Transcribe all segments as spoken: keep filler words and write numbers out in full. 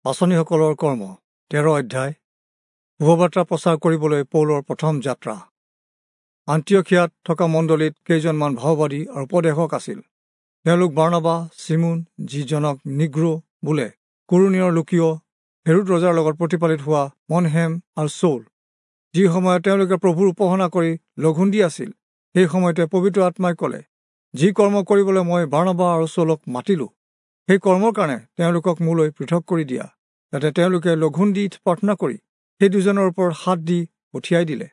পাঁচনিসকলৰ কৰ্ম তেৰ অধ্যায়। শুভবাৰ্তা প্ৰচাৰ কৰিবলৈ পৌলৰ প্ৰথম যাত্ৰা। আন্তিয়খিয়াত থকা মণ্ডলীত কেইজনমান ভাওবাদী আৰু উপদেশক আছিল। তেওঁলোক বাৰ্ণবা, চিমোন যিজনক নিগ্ৰো বোলে, কুৰণীয়ৰ লুকিয়, হেৰোদ ৰজাৰ লগত প্ৰতিপালিত হোৱা মনহেম আৰু চৌল। যি সময়ত তেওঁলোকে প্ৰভুৰ উপাসনা কৰি লঘোণ দি আছিল, সেই সময়তে পবিত্ৰ আত্মাই ক'লে, যি কৰ্ম কৰিবলৈ মই বাৰ্ণবা আৰু চৌলক মাতিলোঁ, সেই কৰ্মৰ কাৰণে তেওঁলোকক মোলৈ পৃথক কৰি দিয়া। যাতে তেওঁলোকে লঘোণ দি প্ৰাৰ্থনা কৰি সেই দুজনৰ ওপৰত হাত দি পঠিয়াই দিলে।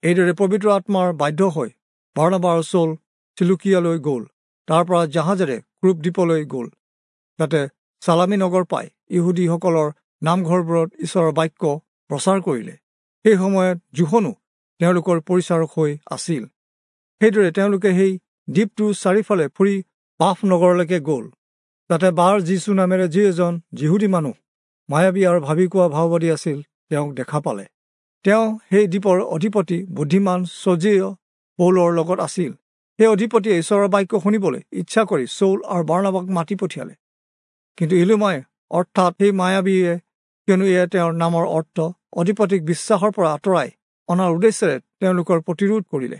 এইদৰে পবিত্ৰ আত্মাৰ বাধ্য হৈ বাৰ্ণবা আৰু চৌল চিলুকিয়ালৈ গ'ল। তাৰ পৰা জাহাজেৰে ক্ৰুপ দ্বীপলৈ গ'ল। তাতে চালামী নগৰ পাই ইহুদীসকলৰ নামঘৰবোৰত ঈশ্বৰৰ বাক্য প্ৰচাৰ কৰিলে। সেই সময়ত যোহনো তেওঁলোকৰ পৰিচাৰক হৈ আছিল। সেইদৰে তেওঁলোকে সেই দ্বীপটোৰ চাৰিওফালে ফুৰি পাফ নগৰলৈকে গ'ল। তাতে বাৰ যীচু নামেৰে যি এজন যিহুদী মানুহ মায়াবী আৰু ভাবি কোৱা ভাওবাদী আছিল, তেওঁক দেখা পালে। তেওঁ সেই দ্বীপৰ অধিপতি বুদ্ধিমান চৰ্জিয় পৌলৰ লগত আছিল। সেই অধিপতিয়ে ঈশ্বৰৰ বাক্য শুনিবলৈ ইচ্ছা কৰি চৌল আৰু বাৰ্ণবাক মাতি পঠিয়ালে। কিন্তু ইলুমাই অৰ্থাৎ সেই মায়াবীয়ে, কিয়নো এয়া তেওঁৰ নামৰ অৰ্থ, অধিপতিক বিশ্বাসৰ পৰা আঁতৰাই অনাৰ উদ্দেশ্যেৰে তেওঁলোকৰ প্ৰতিৰোধ কৰিলে।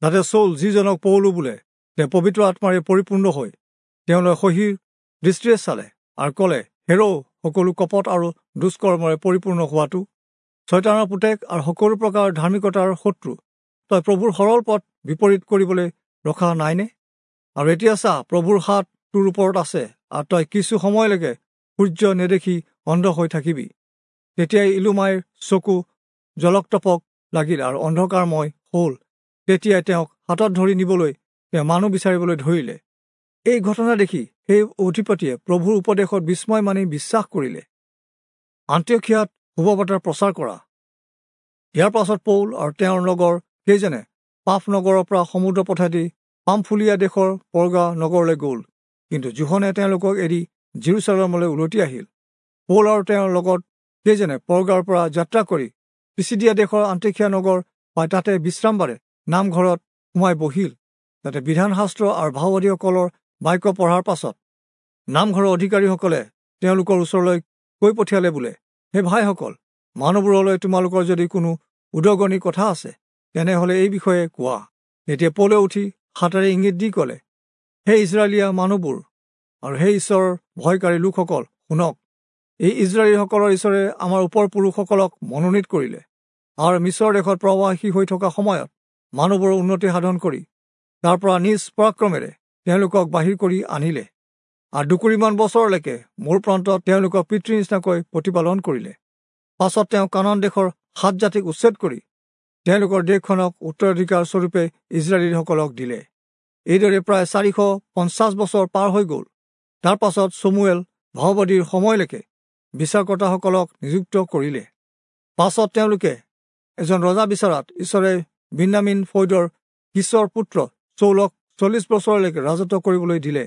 যাতে চৌল যিজনক পৌলো বোলে, তেওঁ পবিত্ৰ আত্মাৰে পৰিপূৰ্ণ হৈ তেওঁলৈ সহিৰ দৃষ্টিৰে চালে আৰু ক'লে, হেৰৌ, সকলো কপট আৰু দুষ্কৰ্মৰে পৰিপূৰ্ণ হোৱাটো, ছয়তানৰ পুতেক আৰু সকলো প্ৰকাৰ ধাৰ্মিকতাৰ শত্ৰু, তই প্ৰভুৰ সৰল পথ বিপৰীত কৰিবলৈ ৰখা নাইনে? আৰু এতিয়া চা, প্ৰভুৰ হাত তোৰ ওপৰত আছে, আৰু তই কিছু সময়লৈকে সূৰ্য নেদেখি অন্ধ হৈ থাকিবি। তেতিয়াই ইলুমাইৰ চকু জলক টপক লাগিল আৰু অন্ধকাৰময় হ'ল। তেতিয়াই তেওঁক হাতত ধৰি নিবলৈ তেওঁ মানুহ বিচাৰিবলৈ ধৰিলে। এই ঘটনা দেখি সেই অধিপতিয়ে প্ৰভুৰ উপদেশত বিস্ময় মানি বিশ্বাস কৰিলে। আন্তিয়খিয়াত শুভবাৰ্তা প্ৰচাৰ কৰা। ইয়াৰ পাছত পৌল আৰু তেওঁৰ লগৰ কেইজনে পাফ নগৰৰ পৰা সমুদ্ৰ পথেদি পামফুলীয়া দেশৰ পৰ্গা নগৰলৈ গ'ল। কিন্তু যোহনে তেওঁলোকক এৰি জিৰচালেমলৈ উলটি আহিল। পৌল আৰু তেওঁৰ লগত কেইজনে পৰ্গাৰ পৰা যাত্ৰা কৰি পিছিদিয়া দেশৰ আন্তিয়খিয়া নগৰ পাই তাতে বিশ্ৰামবাৰে নামঘৰত সোমাই বহিল। তাতে বিধানশাস্ত্ৰ আৰু ভাওবাদীসকলৰ বাক্য পঢ়াৰ পাছত নামঘৰৰ অধিকাৰীসকলে তেওঁলোকৰ ওচৰলৈ কৈ পঠিয়ালে বোলে, হে ভাইসকল, মানুহবোৰলৈ তোমালোকৰ যদি কোনো উদগনি কথা আছে, তেনেহ'লে এই বিষয়ে কোৱা। তেতিয়া পৌলে উঠি হাতেৰে ইংগিত দি ক'লে, হে ইজৰাইলীয়া মানুহবোৰ আৰু হে ঈশ্বৰৰ ভয়কাৰী লোকসকল, শুনক। এই ইজৰাইলীসকলৰ ঈশ্বৰে আমাৰ ওপৰ পুৰুষসকলক মনোনীত কৰিলে আৰু মিছৰ দেশত প্ৰৱাসী হৈ থকা সময়ত মানুহবোৰৰ উন্নতি সাধন কৰি তাৰ পৰা নিজ পৰাক্ৰমেৰে তেওঁলোকক বাহিৰ কৰি আনিলে আৰু দুকুৰিমান বছৰলৈকে মোৰ প্ৰান্তত তেওঁলোকক পিতৃৰ নিচিনাকৈ প্ৰতিপালন কৰিলে। পাছত তেওঁ কানান দেশৰ সাত জাতিক উচ্ছেদ কৰি তেওঁলোকৰ দেশখনক উত্তৰাধিকাৰ স্বৰূপে ইজৰাইলীসকলক দিলে। এইদৰে প্ৰায় চাৰিশ পঞ্চাছ বছৰ পাৰ হৈ গ'ল। তাৰ পাছত চমুৱেল ভাওবাদীৰ সময়লৈকে বিচাৰকৰ্তাসকলক নিযুক্ত কৰিলে। পাছত তেওঁলোকে এজন ৰজা বিচৰাত ঈশ্বৰে বিন্যামীন ফৈদৰ কিচৰ পুত্ৰ চৌলক চল্লিছ বছৰলৈকে ৰাজত্ব কৰিবলৈ দিলে।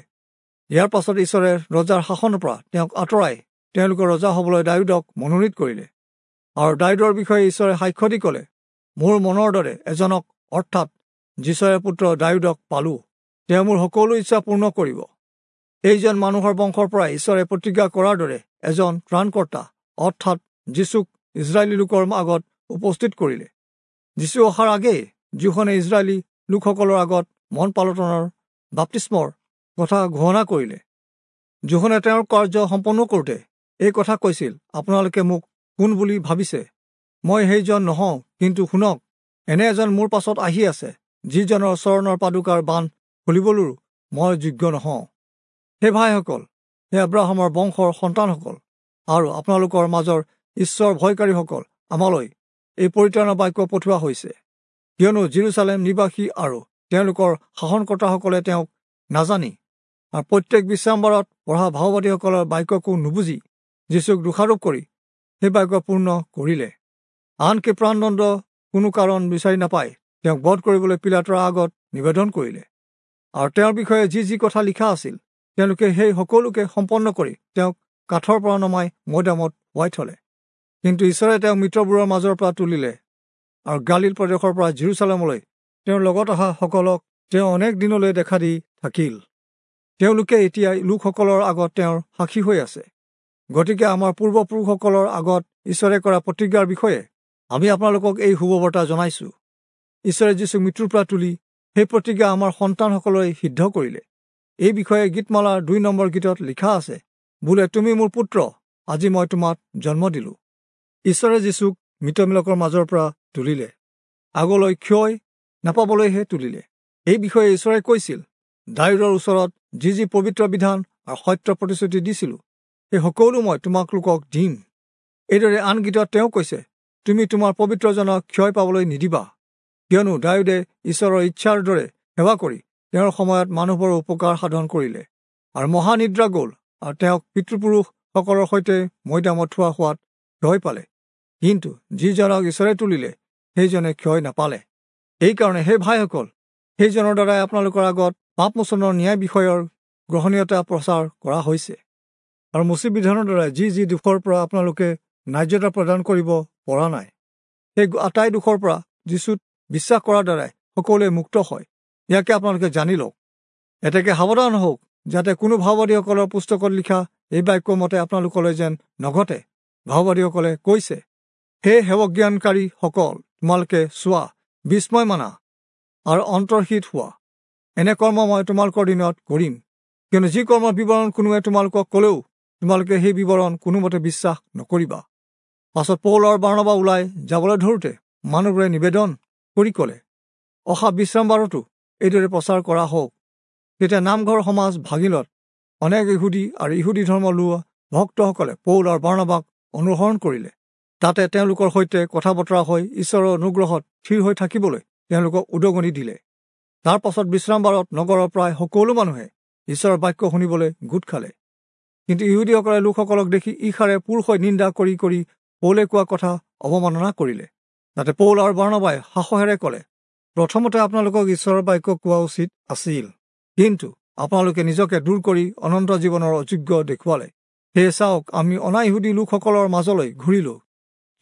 ইয়াৰ পাছত ঈশ্বৰে ৰজাৰ শাসনৰ পৰা তেওঁক আঁতৰাই তেওঁলোকৰ ৰজা হ'বলৈ দায়ূদক মনোনীত কৰিলে। আৰু দায়ূদৰ বিষয়ে ঈশ্বৰে সাক্ষ্য দি ক'লে, মোৰ মনৰ দৰে এজনক অৰ্থাৎ যিচয়ৰ পুত্ৰ দায়ূদক পালোঁ, তেওঁ মোৰ সকলো ইচ্ছা পূৰ্ণ কৰিব। এইজন মানুহৰ বংশৰ পৰা ঈশ্বৰে প্ৰতিজ্ঞা কৰাৰ দৰে এজন ত্ৰাণকৰ্তা অৰ্থাৎ যীচুক ইজৰাইলী লোকৰ আগত উপস্থিত কৰিলে। যীচু অহাৰ আগেয়ে যোহনে ইজৰাইলী লোকসকলৰ আগত মন পালটনৰ বাপ্তিস্মৰ কথা ঘোষণা কৰিলে। যোহনে তেওঁৰ কাৰ্য সম্পন্ন কৰোঁতে এই কথা কৈছিল, আপোনালোকে মোক কোন বুলি ভাবিছে? মই সেইজন নহওঁ, কিন্তু শুনক, এনে এজন মোৰ পাছত আহি আছে, যিজনৰ চৰণৰ পাদুকাৰ বান্ধ খুলিবলৈও মই যোগ্য নহওঁ। হে ভাইসকল, হে আব্ৰাহামৰ বংশৰ সন্তানসকল আৰু আপোনালোকৰ মাজৰ ঈশ্বৰ ভয়কাৰীসকল, আমালৈ এই পৰিত্ৰাণৰ বাক্য পঠোৱা হৈছে। কিয়নো জিৰচালেম নিবাসী আৰু তেওঁলোকৰ শাসনকৰ্তাসকলে তেওঁক নাজানি আৰু প্ৰত্যেক বিশ্ৰামবাৰত পঢ়া ভাওবাদীসকলৰ বাক্যকো নুবুজি যীচুক দোষাৰোপ কৰি সেই বাক্য পূৰ্ণ কৰিলে। আনকি প্ৰাণদণ্ড কোনো কাৰণ বিচাৰি নাপাই তেওঁক বধ কৰিবলৈ পিলাতৰ আগত নিবেদন কৰিলে। আৰু তেওঁৰ বিষয়ে যি যি কথা লিখা আছিল, তেওঁলোকে সেই সকলোকে সম্পন্ন কৰি তেওঁক কাঠৰ পৰা নমাই মৈদামত শুৱাই থলে। কিন্তু ঈশ্বৰে তেওঁক মৃতবোৰৰ মাজৰ পৰা তুলিলে আৰু গালিল প্ৰদেশৰ পৰা জিৰচালেমলৈ তেওঁৰ লগত অহা সকলক তেওঁ অনেক দিনলৈ দেখা দি থাকিল। তেওঁলোকে এতিয়া লোকসকলৰ আগত তেওঁৰ সাক্ষী হৈ আছে। গতিকে আমাৰ পূৰ্বপুৰুষসকলৰ আগত ঈশ্বৰে কৰা প্ৰতিজ্ঞাৰ বিষয়ে আমি আপোনালোকক এই শুভবাৰ্তা জনাইছো। ঈশ্বৰে যীচুক মৃত্যুৰ পৰা তুলি সেই প্ৰতিজ্ঞা আমাৰ সন্তানসকললৈ সিদ্ধ কৰিলে। এই বিষয়ে গীতমালাৰ দুই নম্বৰ গীতত লিখা আছে, বোলে তুমি মোৰ পুত্ৰ, আজি মই তোমাক জন্ম দিলো। ঈশ্বৰে যীচুক মৃতবিলাকৰ মাজৰ পৰা তুলিলে, আগলৈ ক্ষয় নাপাবলৈহে তুলিলে। এই বিষয়ে ঈশ্বৰে কৈছিল, দায়ূদৰ ওচৰত যি যি পবিত্ৰ বিধান আৰু সত্য প্ৰতিশ্ৰুতি দিছিলো, সেই সকলো মই তোমালোকক দিম। এইদৰে আন গীতত তেওঁ কৈছে, তুমি তোমাৰ পবিত্ৰজনক ক্ষয় পাবলৈ নিদিবা। কিয়নো দায়ূদে ঈশ্বৰৰ ইচ্ছাৰ দৰে সেৱা কৰি তেওঁৰ সময়ত মানুহবোৰৰ উপকাৰ সাধন কৰিলে আৰু মহানিদ্ৰা গ'ল আৰু তেওঁক পিতৃপুৰুষসকলৰ সৈতে মৈদামত থোৱা হোৱাত ক্ষয় পালে। কিন্তু যিজনক ঈশ্বৰে তুলিলে, সেইজনে ক্ষয় নাপালে। এইকাৰণে হে ভাইসকল, সেইজনৰ দ্বাৰাই আপোনালোকৰ আগত পাপমোচনৰ ন্যায় বিষয়ৰ গ্ৰহণীয়তা প্ৰচাৰ কৰা হৈছে। আৰু মোচি বিধানৰ দ্বাৰাই যি যি দোষৰ পৰা আপোনালোকে ন্যায্যতা প্ৰদান কৰিব পৰা নাই, সেই আটাই দোষৰ পৰা যীচুত বিশ্বাস কৰাৰ দ্বাৰাই সকলোৱে মুক্ত হয়। ইয়াকে আপোনালোকে জানি লওক। এতেকে সাৱধান হওক, যাতে কোনো ভাওবাদীসকলৰ পুস্তকত লিখা এই বাক্য মতে আপোনালোকলৈ যেন নঘটে। ভাওবাদীসকলে কৈছে, হে সেৱজ্ঞানকাৰীসকল, তোমালোকে চোৱা, বিস্ময় মানা আৰু অন্তৰ্হিত হোৱা। এনে কৰ্ম মই তোমালোকৰ দিনত কৰিম, কিয়নো যি কৰ্মৰ বিৱৰণ কোনোৱে তোমালোকক ক'লেও তোমালোকে সেই বিৱৰণ কোনোমতে বিশ্বাস নকৰিবা। পাছত পৌল আৰু বাৰ্ণবা ওলাই যাবলৈ ধৰোঁতে মানুহবোৰে নিবেদন কৰি ক'লে, অহা বিশ্ৰামবাৰতো এইদৰে প্ৰচাৰ কৰা হওক। তেতিয়া নামঘৰ সমাজ ভাগিলত অনেক ইহুদী আৰু ইহুদী ধৰ্ম লোৱা ভক্তসকলে পৌল আৰু বাৰ্ণবাক অনুসৰণ কৰিলে। তাতে তেওঁলোকৰ সৈতে কথা বতৰা হৈ ঈশ্বৰৰ অনুগ্ৰহত থিৰ হৈ থাকিবলৈ তেওঁলোকক উদগনি দিলে। তাৰ পাছত বিশ্ৰামবাৰত নগৰৰ প্ৰায় সকলো মানুহে ঈশ্বৰৰ বাক্য শুনিবলৈ গোট খালে। কিন্তু ইহুদীসকলে লোকসকলক দেখি ঈৰ্ষাৰে পুৰ হৈ নিন্দা কৰি কৰি পৌলে কোৱা কথা অৱমাননা কৰিলে। তাতে পৌল আৰু বাৰ্ণবাই সাহসেৰে ক'লে, প্ৰথমতে আপোনালোকক ঈশ্বৰৰ বাক্য কোৱা উচিত আছিল, কিন্তু আপোনালোকে নিজকে দূৰ কৰি অনন্ত জীৱনৰ অযোগ্য দেখুৱালে। সেয়ে চাওক, আমি অনাইহুদী লোকসকলৰ মাজলৈ ঘূৰিলো,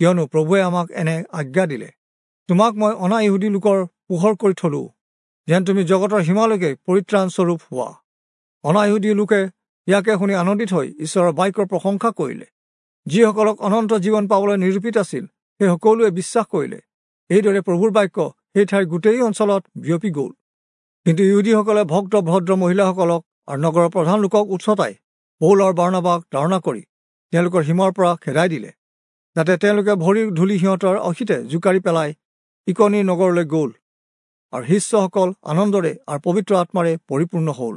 কিয়নো প্ৰভুৱে আমাক এনে আজ্ঞা দিলে, তোমাক মই অনাইহুদী লোকৰ পোহৰ কৰি থলো, যেন তুমি জগতৰ সীমালৈকে পৰিত্ৰাণস্বৰূপ হোৱা। অনাইহুদী লোকে ইয়াকে শুনি আনন্দিত হৈ ঈশ্বৰৰ বাক্যৰ প্ৰশংসা কৰিলে। যিসকলক অনন্ত জীৱন পাবলৈ নিৰূপিত আছিল, সেই সকলোৱে বিশ্বাস কৰিলে। এইদৰে প্ৰভুৰ বাক্য সেই ঠাইৰ গোটেই অঞ্চলত বিয়পি গ'ল। কিন্তু ইহুদীসকলে ভক্ত ভদ্ৰ মহিলাসকলক আৰু নগৰৰ প্ৰধান লোকক উৎসতাই পৌল আৰু বাৰ্ণবাক তাড়না কৰি তেওঁলোকৰ সীমাৰ পৰা খেদাই দিলে। যাতে তেওঁলোকে ভৰিৰ ধূলি সিহঁতৰ অসীতে জোকাৰি পেলাই ইকনি নগৰলৈ গ'ল আৰু শিষ্যসকল আনন্দৰে আৰু পবিত্ৰ আত্মাৰে পৰিপূৰ্ণ হ'ল।